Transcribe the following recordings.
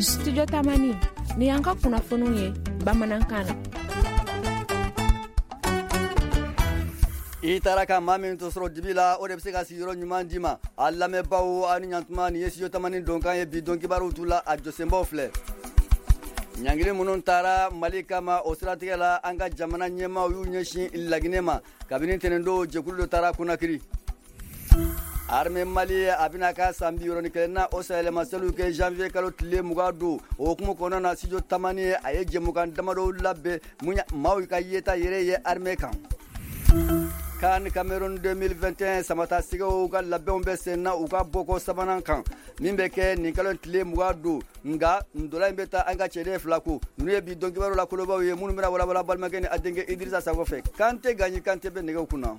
Studio Tamani ni y'an ka kunnafoniw ye bamanankan na. I taara ka maa min to sɔrɔ dibi la, o de bɛ se ka sigiyɔrɔ ɲuman d'i ma. A lamɛnbaaw, aw ni ɲantuma. Nin ye Studio Tamani donkan ye. Bi don kibaruw t'u la, a jɔsenbaw filɛ: ɲangili minnu taara Mali kama, o siratigɛ la, an ka jamana ɲɛmaaw y'u ɲɛsin Laginɛ ma. Kabini tɛnɛndon, jɛkulu dɔ taara Konakiri. Armée Mali, a bɛna ka san 61 na, o sayɛlɛmaseliw kɛ janvier kalo tile 20 don. O hukumu kɔnɔna na, Studio Tamani, a ye jɛmukan damadɔw labɛn mun maaw ka yeta yɛrɛ ye armée kan. CAN Cameroun 2021, Samata Sɛgɛw ka labɛnw bɛ sen na u ka bɔkɔ sabanan kan min bɛ kɛ nin kalo tile 20 don. Nka ntola in bɛ taa an ka cɛden fila ko. Ninnu ye bi don kibaru la kolobaw ye minnu bɛna walawala balimakɛ ni a denkɛ Idrissa Sakɔ fɛ. Kante Gaɲi Kante bɛ nɛgɛw kunna.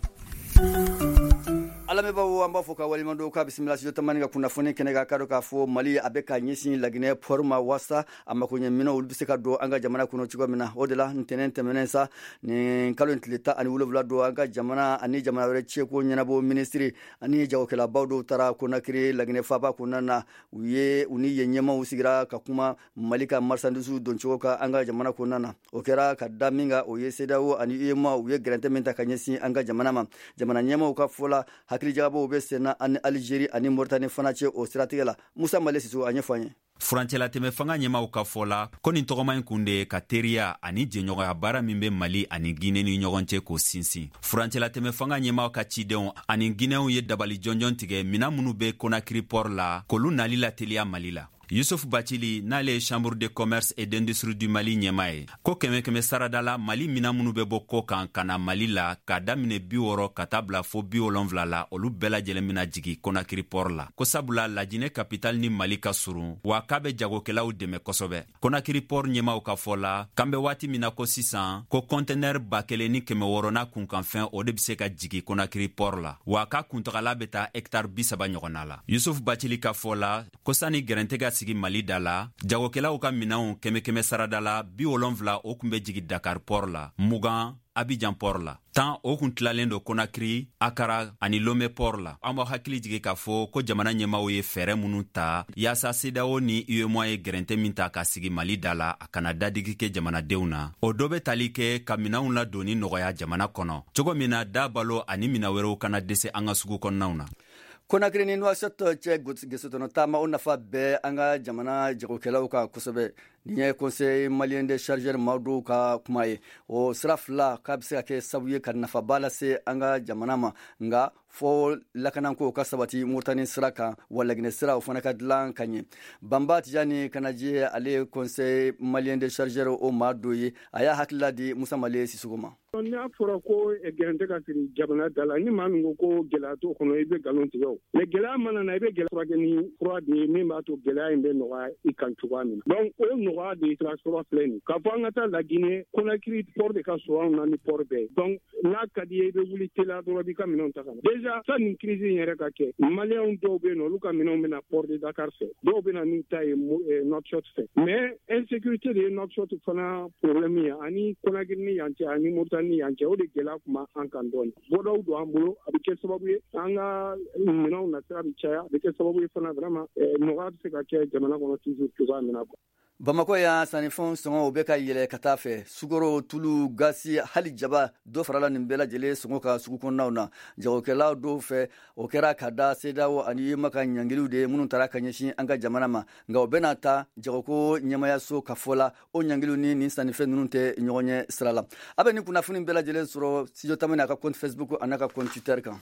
A lamɛnbaaw, an b'a fɔ ka waleɲuman dɔn, k'a bisimila Studio Tamani ka kunnafoni kɛnɛ kan. K'a dɔn k'a fɔ Mali, a bɛ ka ɲɛsin Laginɛ port ma waasa a makoɲɛ minɛnw, olu bɛ se ka don an ka jamana kɔnɔ cogo min na. O de la, ntɛnɛn tɛmɛnen sa, nin kalo in tile 17 don, an ka jamana ani jamana wɛrɛ cɛko ɲɛnabɔ minisiri ani jagokɛlabaw dɔw taara Konakiri, Laginɛ faaba kɔnɔna na. U ye u ni yen ɲɛmaaw sigira ka kuma Mali ka marchandise don cogo kan an ka jamana kɔnɔna na. O kɛra ka da min kan, o ye CEDEAO ani UEMOA, u ye gɛrɛntɛ min ta ka ɲɛsin an ka jamana ma. Jamana ɲɛmaaw ka fɔ la, hakilijagabɔw bɛ senna ani Algérie ani Mauritanie fana cɛ o siratigɛ la. Musa Male Siso, a ɲɛfɔ an ye. Furancɛlatɛmɛ fanga ɲɛmaw ka fɔ la ko nin tɔgɔma in kun de ye ka teriya ani jɛɲɔgɔnya baara min bɛ Mali ani Gine ni ɲɔgɔn cɛ, k'o sinsin. Furancɛlatɛmɛ fanga ɲɛmaw ka cidenw ani Ginɛw ye dabali jɔnjɔn tigɛ minan minnu bɛ Konakiri port la, k'olu nali lateliya Mali la. Yusuf Bacili, n'ale ye Chambre de commerce et d'industrie du Mali ɲɛma ye, ko kɛmɛ kɛmɛ sarada la, Mali minan minnu bɛ bɔ kɔ kan ka na Mali la, k'a daminɛ 60 ka taa bila fo 70 la, olu bɛɛ lajɛlen bɛna jigi Konakiri port la, ko sabula Lajinɛ capitale ni Mali ka surun, wa k'a bɛ jagokɛlaw dɛmɛ kosɛbɛ. Konakiri port ɲɛmaw ka fɔ la, k'an bɛ waati min na ko sisan, ko kɔntɛnɛri 1600 n'a kunkanfɛn, o de bɛ se ka jigi Konakiri port la, wa k'a kuntagala bɛ taa hɛkitari 30 ɲɔgɔnna la. Yusuf Bacili ka fɔ la ko sani gɛrɛntɛ ka sigi Mali da la, jagokɛlaw ka minɛnw kɛmɛ kɛmɛ sarada la, 70, o kun bɛ jigi Dakar port la, 20 Abidjan port la, 10, o kun tilalen don Konakiri, Akara ani Lome port la. An b'aw hakili jigi k'a fɔ ko jamana ɲɛmaw ye fɛɛrɛ minnu ta yaasa CEDEAO ni UEMOA ye gɛrɛntɛ min ta ka sigi Mali da la, a kana dadigi kɛ jamanadenw na, o dɔ bɛ tali kɛ ka minɛnw ladonni nɔgɔya jamana kɔnɔ cogo min na, da balo ani minɛn wɛrɛw kana dɛsɛ an ka sugu kɔnɔnaw na. Konakiri ni Nouakchott cɛ gesotɔnɔ taama, o nafa bɛɛ an ka jamana jagokɛlaw kan kosɛbɛ. Nin ye Conseil malien des chargeurs maa dɔw ka kuma ye. O sira fila k'a bɛ se ka kɛ sababu ye ka nafaba lase an ka jamana ma, nka fɔ lakanako ka sabati Moritani sira kan, wa Laginɛ sira, o fana ka dilan ka ɲɛ. Banba Tijani Kanaji, ale ye Conseil malien des chargeurs o maa dɔ ye, a y'a hakilila di Musa Male Sisoko ma. N'a fɔra ko gɛrɛntɛ ka siri jamana da la, ni maa min ko ko gɛlɛya t'o kɔnɔ, i bɛ nkalon tigɛ. O mais gɛlɛya mana na, i bɛ gɛlɛya furakɛ ni fura de ye min b'a to gɛlɛya in bɛ nɔgɔya i kan cogoya min na. Donc o nɔgɔya de ye sira sɔrɔ filɛ nin k'a fɔ an ka taa Laginɛ, Conakry port de ka surun anw na ni port bɛɛ ye. Donc n'a ka di ye, i bɛ wuli teliya dɔrɔn, i b'i ka minɛnw ta ka na. Déjà sani nin crise in yɛrɛ ka kɛ, Maliyɛnw dɔw bɛ yen nɔ, olu ka minɛnw bɛ na port de Dakar fɛ, dɔw bɛ na n'u ta ye Nouakchott fɛ. Mais insécurité de ye Nouakchott fana problème ye ani Conakry ni yan cɛ ani Mauritanie ni yan cɛ. O de gɛlɛya tun b'an kan dɔɔni. Bɔdaw don an bolo, a bɛ kɛ sababu ye an ka minɛnw nasira bɛ caya, a bɛ kɛ sababu ye fana vraiment nɔgɔya bɛ se ka kɛ jamana kɔnɔ toujours cogoya min na. Bamakɔ yan, sannifɛnw sɔngɔ, o bɛ ka yɛlɛ ka taa fɛ. Sukaro, tulu, gasi, hali jaba, dɔ farala nin bɛɛ lajɛlen sɔngɔ kan sugu kɔnɔnaw na jagokɛlaw dɔw fɛ. O kɛra ka da CEDEAO ani UEMOA ka ɲangiliw de ye minnu taara ka ɲɛsin an ka jamana ma. Nka o bɛna ta jagoko ɲɛmayaso ka fɔ la, o ɲangiliw ni nin sannifɛn ninnu tɛ ɲɔgɔn ɲɛ sira la. A bɛ nin kunnafoni bɛɛ lajɛlen sɔrɔ Studio Tamani a ka compte Facebook a n'a ka compte Twitter kan.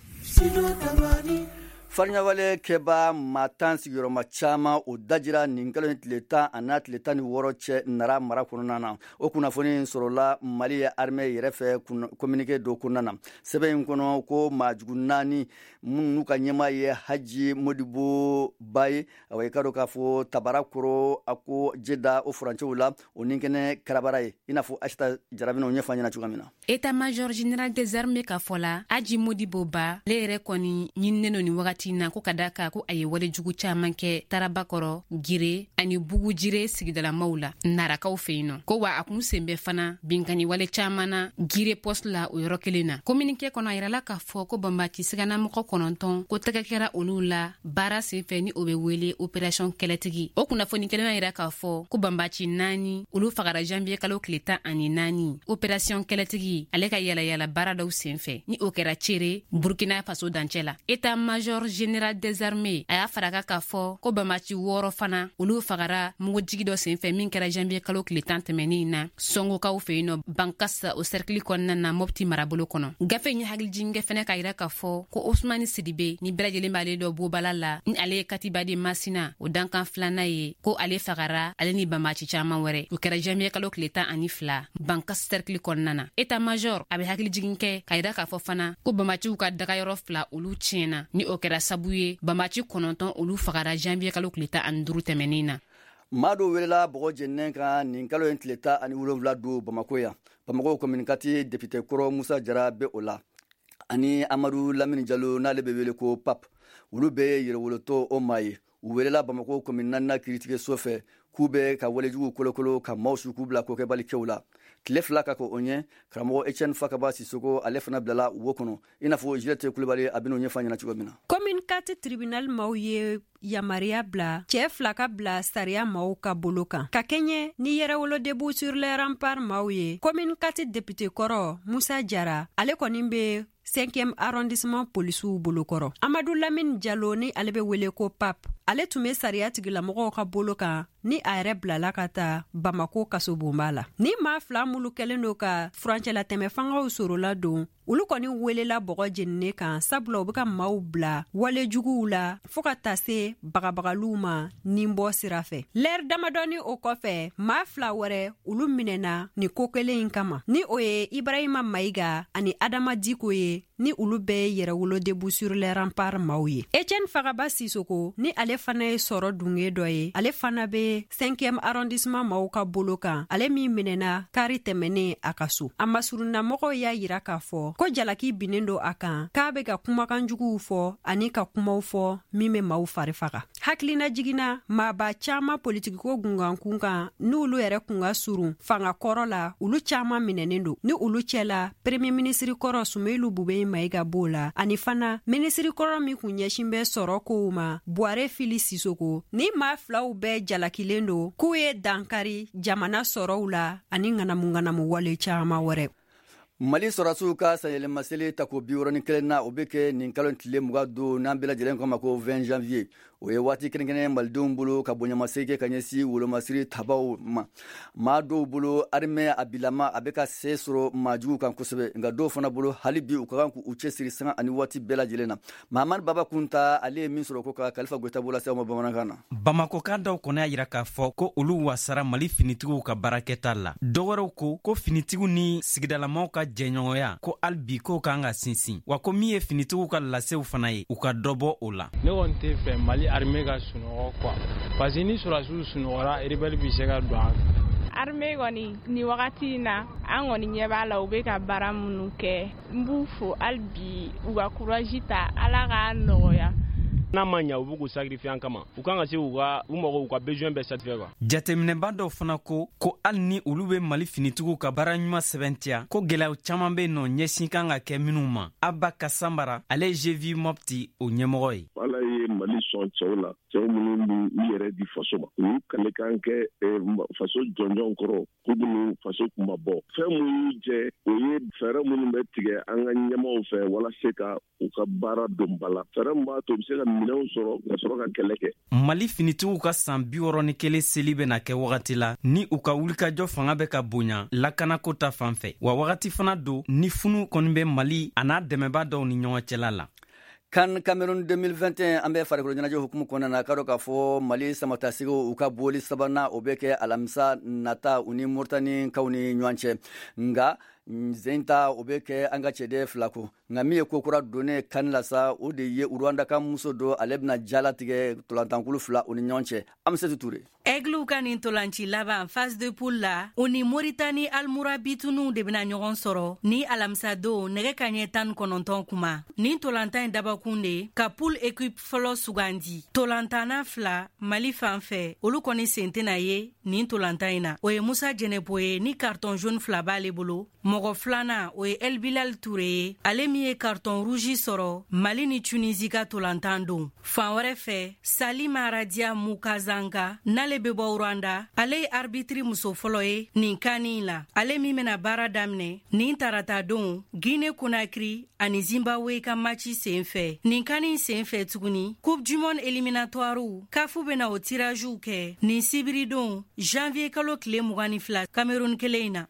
Fariɲawale kɛba maa 10 sigiyɔrɔma caman, o dajira nin kalo in tile 10 a n'a tile 16 cɛ Nara mara kɔnɔna na. O kunnafoni sɔrɔla Mali ye armée yɛrɛ fɛ communiqué dɔ kɔnɔna na. Sɛbɛn in kɔnɔ ko maajugu naani minnu ka ɲɛmaa ye Haji Modibo Ba ye, awa, i ka dɔn k'a fɔ Tabara kɔrɔ a ko jeda o furancɛw la, o ni kɛnɛ karabara ye, i n'a fɔ Asita Jara bɛna o ɲɛfɔ an ɲɛna cogoya min na. État-major général des armées ka fɔ la, Aji Modibo Ba, ale yɛrɛ kɔni ɲininen don nin wagati. wagati na, ko ka da kan ko a ye walejugu caaman kɛ Tarabakɔrɔ, Gire ani Bugujire sigidalamaw la Narakaw fɛ yen nɔ. Ko wa a kun sen bɛ fana binkanni wale caaman na Gire poste la o yɔrɔ kelen na. Communiqué kɔnɔ, a yirala k'a fɔ ko banbaci siganamɔgɔ 9, ko tɛgɛ kɛra olu la baara senfɛ ni o bɛ wele opération Kɛlɛtigi. O kunnafoni kelen y'a yira k'a fɔ ko banbaci 4, olu fagara janvier kalo tile 14, opération Kɛlɛtigi ale ka yalayala baara dɔw senfɛ, ni o kɛra Cere, Burkina Faso dancɛ la. État major général des armées a y'a faraka k'a fɔ ko banbaci 6 fana, olu fagara mugujigi dɔ senfɛ min kɛra janvier kalo tile 10 tɛmɛnin na Sɔngokaw fɛ yen nɔ, Bankasa, o cercle kɔnɔna na, Mopti marabolo kɔnɔ. Gafe in ye hakilijigin kɛ fɛnɛ k'a yira k'a fɔ ko Osmani Sidibe, ni bɛɛ lajɛlen b'ale dɔ bobala la, ni ale ye Katiba de Masina o dankan filanan ye, ko ale fagara, ale ni banbaci caaman wɛrɛ. O kɛra janvier kalo tile 12 Bankas cercle kɔnɔna na. État major a bɛ hakilijigin kɛ k'a yira k'a fɔ fana ko banbaciw ka dagayɔrɔ 2, olu tiɲɛna, ni o kɛra sabu ye banbaci 9, olu fagara janvier kalo tile 15 tɛmɛnin na. Maa dɔw welela bɔgɔ jeninen kan nin kalo in tile 17 don Bamako yan. Bamako commune 4 député kɔrɔ Musa Jara bɛ o la, ani Amadu Lamini Jalo, n'ale bɛ wele ko Pap. Olu bɛɛ ye yɛrɛwolotɔ o maa ye. U welela Bamako commune naaninan kiiritigɛso fɛ k'u bɛ ka walejugu kolokolo, ka maaw su k'u bila kokɛbalikɛw la. Tile 2 ka kɔ o ɲɛ, karamɔgɔ Etienne Fakaba Sisoko, ale fana bilala wo kɔnɔ, i n'a fɔ Juliette Kulibali a bɛn'o ɲɛfɔ an ɲɛna cogo min na. Commune 4 tribunal maaw ye yamaruya bila cɛɛ 2 ka bila sariya maaw ka bolo kan ka kɛɲɛ ni Yɛrɛwolo Debout sur les Remparts maaw ye. Commune 4 député kɔrɔ Musa Jara, ale kɔni be 5e arrondissement polisiw bolokɔrɔ. Amadu Lamini Jalo, ni ale be wele ko Pap, ale tun be sariya tigilamɔgɔw ka bolo kan, ni a yɛrɛ bilala ka taa Bamako kasobonba la. Ni maa 2 mulu kɛlen do ka furancɛlatɛmɛ fangaw sorola don, olu kɔni welela bɔgɔ jeninen kan, sabula u be ka maaw bila wale juguw la fɔɔ ka taa se bagabagaliw ma nin bɔ sira fɛ. Lɛri damadɔni o kɔfɛ, maa 2 wɛrɛ, olu minɛna nin ko kelen in kama, ni o ye Ibrahima Mayiga ani Adama Diko ye, ni olu bɛɛ ye Yɛrɛwolo Debout sur les Remparts maaw ye. Etienne Fagaba Sisoko, ni ale fana ye sɔrɔ dunge dɔ ye, ale fana be 5e arrondissement maaw ka bolo kan, ale min minɛna kari tɛmɛnen a ka so. A masurunnamɔgɔw y'a yira k'a fɔ ko jalaki binnen do a kan k'a be ka kumakan juguw fɔ ani ka kumaw fɔ min be maaw fari faga. Hakilina jiginna, maaba caaman politikiko gungankun kan, n'olu yɛrɛ kun ka surun fanga kɔrɔ la, olu caaman minɛnen don. Ni olu cɛla, premier minisiri kɔrɔ Sumelu Bubɛyi Mayiga b'o la, ani fana minisiri kɔrɔ min kun ɲɛsin bɛ sɔrɔ kow ma, Buware Fili Sisoko. Ni maa filaw bɛɛ jalakilen don k'u ye dankari jamana sɔrɔw la ani ŋanamu-ŋanamu wale caaman wɛrɛ. Mali sɔrɔdasiw ka sanyɛlɛmaseli tako 61 na, o bɛ kɛ nin kalo tile 20 don, n'an bɛɛ lajɛlen ko ma ko 20 janvier. O ye waati kɛrɛnkɛrɛn malidenw bolo ka bonyamasegin kɛ ka ɲɛsin wolomasiri tabaw ma. Maa dɔw bolo, armée a bilama a bɛ ka se sɔrɔ maajuguw kan kosɛbɛ, nka dɔw fana bolo, hali bi u ka kan k'u cɛsiri sanga ani waati bɛɛ lajɛlen na. Mahamadu Baba Kunta, ale ye min sɔrɔ ko ka Kalifa Goyita bolo se ma bamanankan na. Bamakokan dɔw kɔni y'a yira k'a fɔ ko olu wasara Mali finitigiw ka baarakɛta la. Dɔwɛrɛw ko ko finitigiw ni sigidalamaw ka jɛɲɔgɔnya, ko hali bi k'o kan ka sinsin, wa ko min ye finitigiw ka lasew fana ye, u ka dɔ bɔ o la. Ne kɔni tɛ fɛ Mali armée ka sunɔgɔ quoi, parce que ni sɔrɔdasiw sunɔgɔra, rebelle bɛ se ka don an fɛ. Armée kɔni, ni wagati in na, an kɔni ɲɛ b'a la, u bɛ ka baara minnu kɛ, n b'u fo. Hali bi u ka courage ta, Ala k'a nɔgɔya. N'a ma ɲa, u b'u k'u sacrifier an kama, u kan ka se k'u ka u mago, u ka besoin bɛɛ satisfaire quoi. Jateminɛba dɔw fana ko ko hali ni olu bɛ Mali finitigiw ka baara ɲuman sɛbɛntiya, ko gwɛlɛyaw caaman be nɔ ɲɛsin kan ka kɛ minw ma. Aba Kasanbara, ale ye GV Mopti o ɲɛmɔgɔ ye. Ala ye Mali sɔn cɛw la, cɛw minnu b'u yɛrɛ di faso ma, u y'u kalekan kɛ faso jɔnjɔn kɔrɔ k'u bɛn'u faso kuma bɔ. Fɛn min y'u jɛ, o ye fɛɛrɛ minnu bɛ tigɛ an ka ɲɛmaw fɛ walasa ka u ka baara don ba la, fɛɛrɛ min b'a to u bɛ se ka minɛnw sɔrɔ ka sɔrɔ ka kɛlɛ kɛ. Mali finitigiw ka san 61 seli bɛna kɛ wagati la ni u ka wulikajɔ fanga bɛ ka bonya lakanako ta fan fɛ, wa wagati fana don ni funu kɔni bɛ Mali a n'a dɛmɛba dɔw ni ɲɔgɔn cɛla la. CAN Cameroun 2021, an bɛ farikolo ɲɛnajɛ hukumu kɔnɔna na. K'a dɔn k'a fɔ Mali samatasigiw, u ka boli sabanan, o bɛ kɛ alamisa nata u ni Mauritanie kaw ni ɲɔgɔn cɛ, nka Zen ta o bɛ kɛ an ka cɛden fila ko. Nka min ye ko kura donnen CAN la sa, o de ye Rwanda ka muso dɔ, ale bɛna jalatigɛ ntolankulu fila o ni ɲɔgɔn cɛ. Amisatu Ture. Aiglew ka nin tolanci laban phase de poule la, u ni Moritani Almurabitunu de bɛna ɲɔgɔn sɔrɔ ni alamisadon nɛgɛ kaɲɛ 19 kuma. Nin tolantan in dabakun de ka poule équipe fɔlɔ sugandi. Tolantanna fila Mali fan fɛ, olu kɔni sen tɛna ye nin tolantan in na. O ye Musa Jɛnɛpo ye ni carton jaune fila b'ale bolo. Mɔgɔ filanan, o ye El Bilal Ture ye, ale min ye carton rouge sɔrɔ Mali ni Tunisie ka tolantan don. Fan wɛrɛ fɛ, Salima Radia Mukazanga, n'ale bɛ bɔ Rwanda, ale ye arbitre muso fɔlɔ ye nin CAN in la, ale min bɛna baara daminɛ nin tarata don Guinée Conakry ani Zimbabwe ka match sen fɛ. Nin CAN in sen fɛ tuguni, Coupe du monde éliminatoire, CAF bɛna o tiragew kɛ nin sibiridon janvier kalo tile 22 Cameroun kelen in na.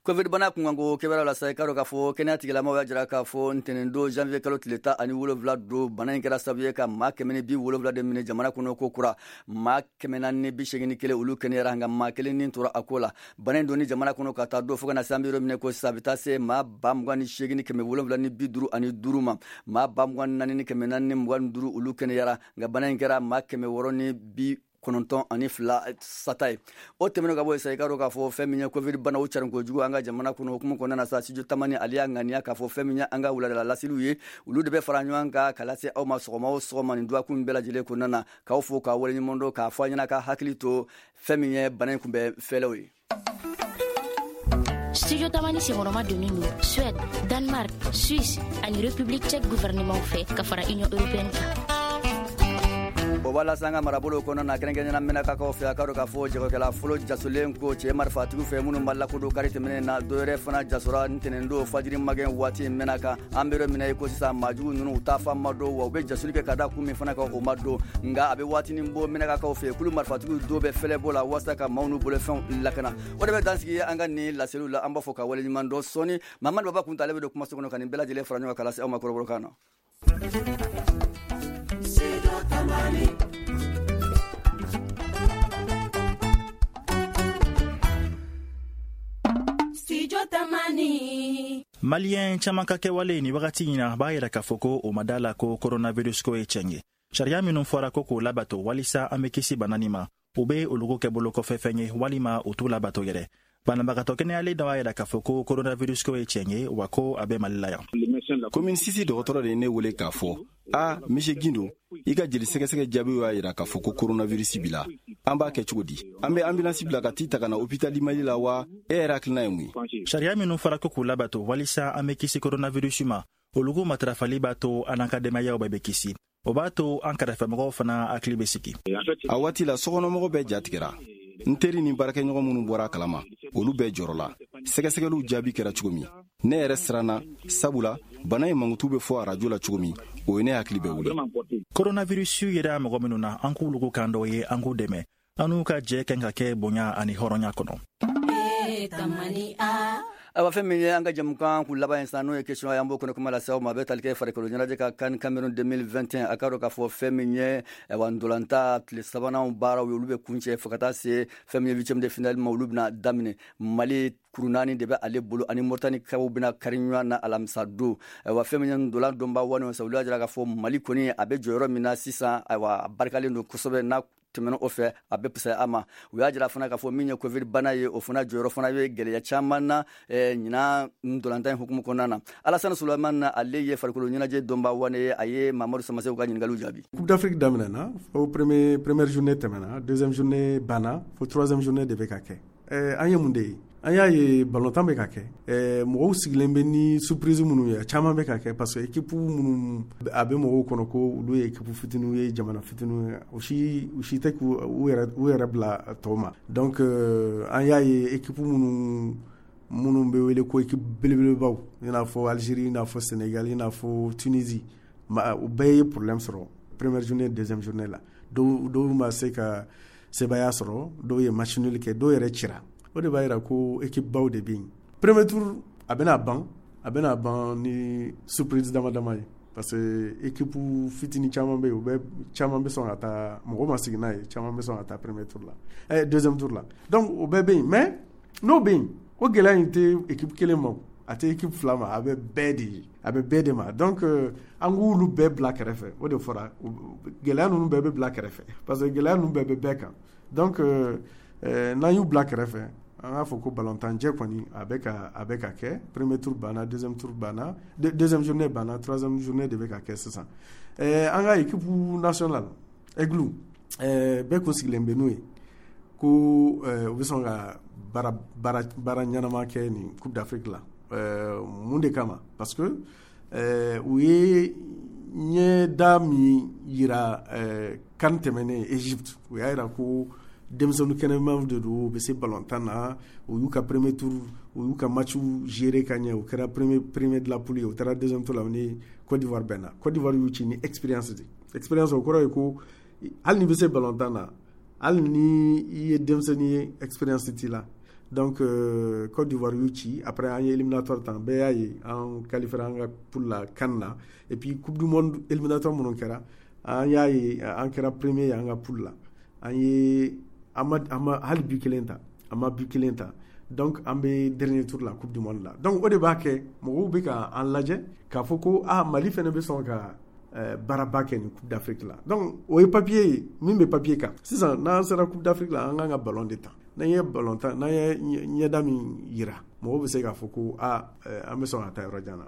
Covid bana kunkanko kibaruya la sa, i k'a dɔn k'a fɔ kɛnɛya tigilamɔgɔw y'a jira k'a fɔ ntɛnɛndon janvier kalo tile 17 don, bana in kɛra sababu ye ka maa 170 de minɛ jamana kɔnɔ ko kura. Maa 481, olu kɛnɛyara, nka maa kelen ni tora a ko la. Bana in donni jamana kɔnɔ ka taa don fo ka na se an bɛ yɔrɔ min ko sisan, a bɛ taa se maa 28,755 ma. Maa 24,425, olu kɛnɛyara, nka bana in kɛra maa 692 sata ye. O tɛmɛnen ka bɔ yen sa, i k'a dɔn k'a fɔ fɛn min ye Covid bana, o carin kojugu an ka jamana kɔnɔ. Hukumu kɔnɔna na sa, Studio Tamani ale y'a ŋaniya k'a fɔ fɛn min ye an ka wuladala laseliw ye, olu de bɛ fara ɲɔgɔn kan ka lase aw ma sɔgɔma o sɔgɔma nin dɔgɔkun bɛɛ lajɛlen kɔnɔna na, k'aw fo k'aw waleɲuman dɔn, k'a fɔ a ɲɛna ka hakili to fɛn min ye bana in kunbɛn fɛlɛw ye. Studio Tamani senkɔrɔma donnen don Suède, Danemark, Suisse ani République tchèque gouvernement fɛ ka fara Union européenne kan. O b'a lase an ka marabolo kɔnɔ na, kɛrɛnkɛrɛnnenya Mɛnakakaw fɛ. A k'a dɔn k'a fɔ jagokɛla fɔlɔ jasolen ko cɛ marifatigiw fɛ minnu ma lakodɔn kari tɛmɛnen na, dɔ yɛrɛ fana jasora ntɛnɛndon fajiri magɛn waati Mɛnaka. An bɛ yɔrɔ min na i ko sisan, maajugu ninnu, u taa fan ma dɔn, wa u bɛ jasoli kɛ ka da kun min fana kan, o ma dɔn. Nka a bɛ waatinin bɔ, Mɛnakakaw fɛ, kulu marifatigiw dɔw bɛ fɛlɛbɔ la walasa ka maaw n'u bolofɛnw lakana. O de bɛ dansigi an ka nin laseliw la. An b'a fɔ ka waleɲuman dɔn. Sɔɔni, Mamadu Baba Kunta, ale bɛ don kumaso kɔnɔ ka nin bɛɛ lajɛlen fara ɲɔgɔn kan ka lase aw ma kɔrɔbɔrɔkan na. Maliyɛn caman ka kɛwale ni wagati in na b'a yira k'a fɔ ko o ma da la ko coronavirus ko ye tiɲɛ ye. Sariya minnu fɔra ko k'o labato walisa an bɛ kisi bana nin ma, u bɛ olugu kɛ bolokɔfɛfɛn ye walima u t'u labato yɛrɛ. Banabagatɔ kɛnɛyalen dɔ b'a yira k'a fɔ ko coronavirus ko ye tiɲɛ ye, wa ko a bɛ Mali la yan. Commune six dɔgɔtɔrɔ de ye ne wele k'a fɔ: "A, monsieur Gindo, i ka jeli sɛgɛsɛgɛ jaabiw y'a yira k'a fɔ ko coronavirus b'i la. An b'a kɛ cogo di? An bɛ ambulance bila ka t'i ta ka na hôpital Mali la wa? E yɛrɛ hakilina ye mun ye?" Sariya minnu fɔra ko k'u labato walisa an bɛ kisi coronavirus ma, olugu matarafali b'a to an n'an ka denbayaw bɛɛ bɛ kisi. O b'a to an kɛrɛfɛmɔgɔw fana hakili bɛ sigi. A waati la, sokɔnɔmɔgɔ bɛɛ jatigɛra. N teri ni baarakɛɲɔgɔn minnu bɔra a kalama, olu bɛɛ jɔrɔla. Sɛgɛsɛgɛliw jaabi kɛra cogo min, ne yɛrɛ siranna, sabula bana in mankutu bɛ fɔ arajo la cogo min, o ye ne hakili bɛ wuli. Coronavirus yera mɔgɔ minnu na, an k'olu kan dɔ ye, an k'u dɛmɛ. An n'u ka jɛ kan ka kɛ bonya ani hɔrɔnya kɔnɔ. Ayiwa, fɛn min ye an ka jamukan kun laban ye sisan, n'o ye question ye, an b'o kɔnɔ kuma lase aw ma, a bɛ tali kɛ farikolo ɲɛnajɛ ka CAN Cameroun 2021. A k'a dɔn k'a fɔ fɛn min ye, ayiwa, ntolanta tile sabanan baaraw ye, olu bɛ kuncɛ fo ka taa se fɛn min ye huitième de finale ma, olu bɛna daminɛ. Mali kuru naani de bɛ ale bolo, ani Mauritanie-kaw bɛna kari ɲɔgɔn na alamisa don. Ayiwa, fɛn min ye ntolan dɔnba wani sa, olu y'a jira k'a fɔ Mali kɔni a bɛ jɔyɔrɔ min na sisan, ayiwa, a barikalen don kosɛbɛ. N'a tɛmɛna o fɛ, a bɛ fisaya a ma. U y'a jira fana k'a fɔ min ye Covid bana ye, o fana jɔyɔrɔ fana bɛ gɛlɛya caman na ɲinan ntolantan in hukumu kɔnɔna na. Alasani Sulemani, ale ye farikolo ɲɛnajɛ dɔnba wane ye, a ye Mamadu Samasew ka ɲininkaliw jaabi. Coupe d'Afrique daminɛna fo premier, première journée tɛmɛna, deuxième journée banna, fo troisième journée de bɛ ka kɛ. An ye mun de ye? An y'a ye balontan bɛ ka kɛ, mɔgɔw sigilen bɛ ni surprise minnu ye, a caman bɛ ka kɛ, parce que équipe minnu a bɛ mɔgɔw kɔnɔ ko olu ye équipe fitininw ye, jamana fitininw ye, u si tɛ k'u u yɛrɛ bila tɔw ma. Donc an y'a ye équipe minnu bɛ wele ko équipe belebelebaw, i n'a fɔ Algérie, i n'a fɔ Sénégal, i n'a fɔ Tunisie, u bɛɛ ye problème sɔrɔ première journée, deuxième journée la. Dɔw ma se ka sebaaya sɔrɔ, dɔw ye match nul kɛ, dɔw yɛrɛ cira. O de b'a yira ko équipe baw de bɛ yen. Premier tour a bɛna ban ni surprise dama dama ye, parce que équipe fitinin caman bɛ yen, u bɛ caman bɛ sɔn ka taa, mɔgɔ ma sigi n'a ye, caman bɛ sɔn ka taa premier tour la, deuxième tour la. Donc o bɛɛ bɛ yen, mais n'o bɛ yen, o gɛlɛya in tɛ équipe kelen ma. A tɛ équipe fila ma, a bɛ bɛɛ de ye, a bɛ bɛɛ de ma. Donc an k'olu bɛɛ bila kɛrɛfɛ. O de fɔra, gɛlɛya ninnu bɛɛ bɛ bila kɛrɛfɛ, parce que gɛlɛya ninnu bɛɛ bɛ bɛɛ kan. Donc n'an y'u bila kɛrɛfɛ, an k'a fɔ ko balontanjɛ kɔni a bɛ ka kɛ. Premier tour banna, deuxième tour banna, deuxième journée banna, troisième journée de bɛ ka kɛ sisan. An ka équipe nationale Aigle, bɛɛ kun sigilen bɛ n'o ye ko u bɛ sɔn ka baara baara baara ɲɛnama kɛ nin Coupe d'Afrique la. Mun de kama? Parce que u ye ɲɛda min yira CAN tɛmɛnen Égypte, u y'a yira ko denmisɛnnin kɛnɛmaw de don, u bɛ se balontan na. U y'u ka premier tour, u y'u ka match gérer ka ɲɛ, u kɛra premier de la poule ye, u taara deuxième tour la ni Côte d'Ivoire bɛnna. Côte d'Ivoire y'u ci ni expérience de expérience. O kɔrɔ ye ko hali n'i bɛ se balontan na, hali ni i ye denmisɛnnin ye, expérience t'i la. Donc Côte d'Ivoire y'u ci. Après, an ye éliminatoire tan, bɛɛ y'a ye, an qualifiera an ka poule la CAN na. Et puis Coupe du monde éliminatoire minnu kɛra, an y'a ye, an kɛra premier ye an ka poule la. An ye an ma hali but kelen ta, an ma but kelen ta. Donc an bɛ dernier tour la Coupe du monde la. Donc o de b'a kɛ mɔgɔw bɛ ka an lajɛ k'a fɔ ko ah, Mali fana bɛ sɔn ka baaraba kɛ nin Coupe d'Afrique la. Donc o ye papier ye min bɛ papier kan. Sisan n'an sera Coupe d'Afrique la, an kan ka ballon de ta. N'an ye ballon ta, n'an ye ɲɛda min yira, mɔgɔw bɛ se k'a fɔ ko ah, an bɛ sɔn ka taa yɔrɔ jan na.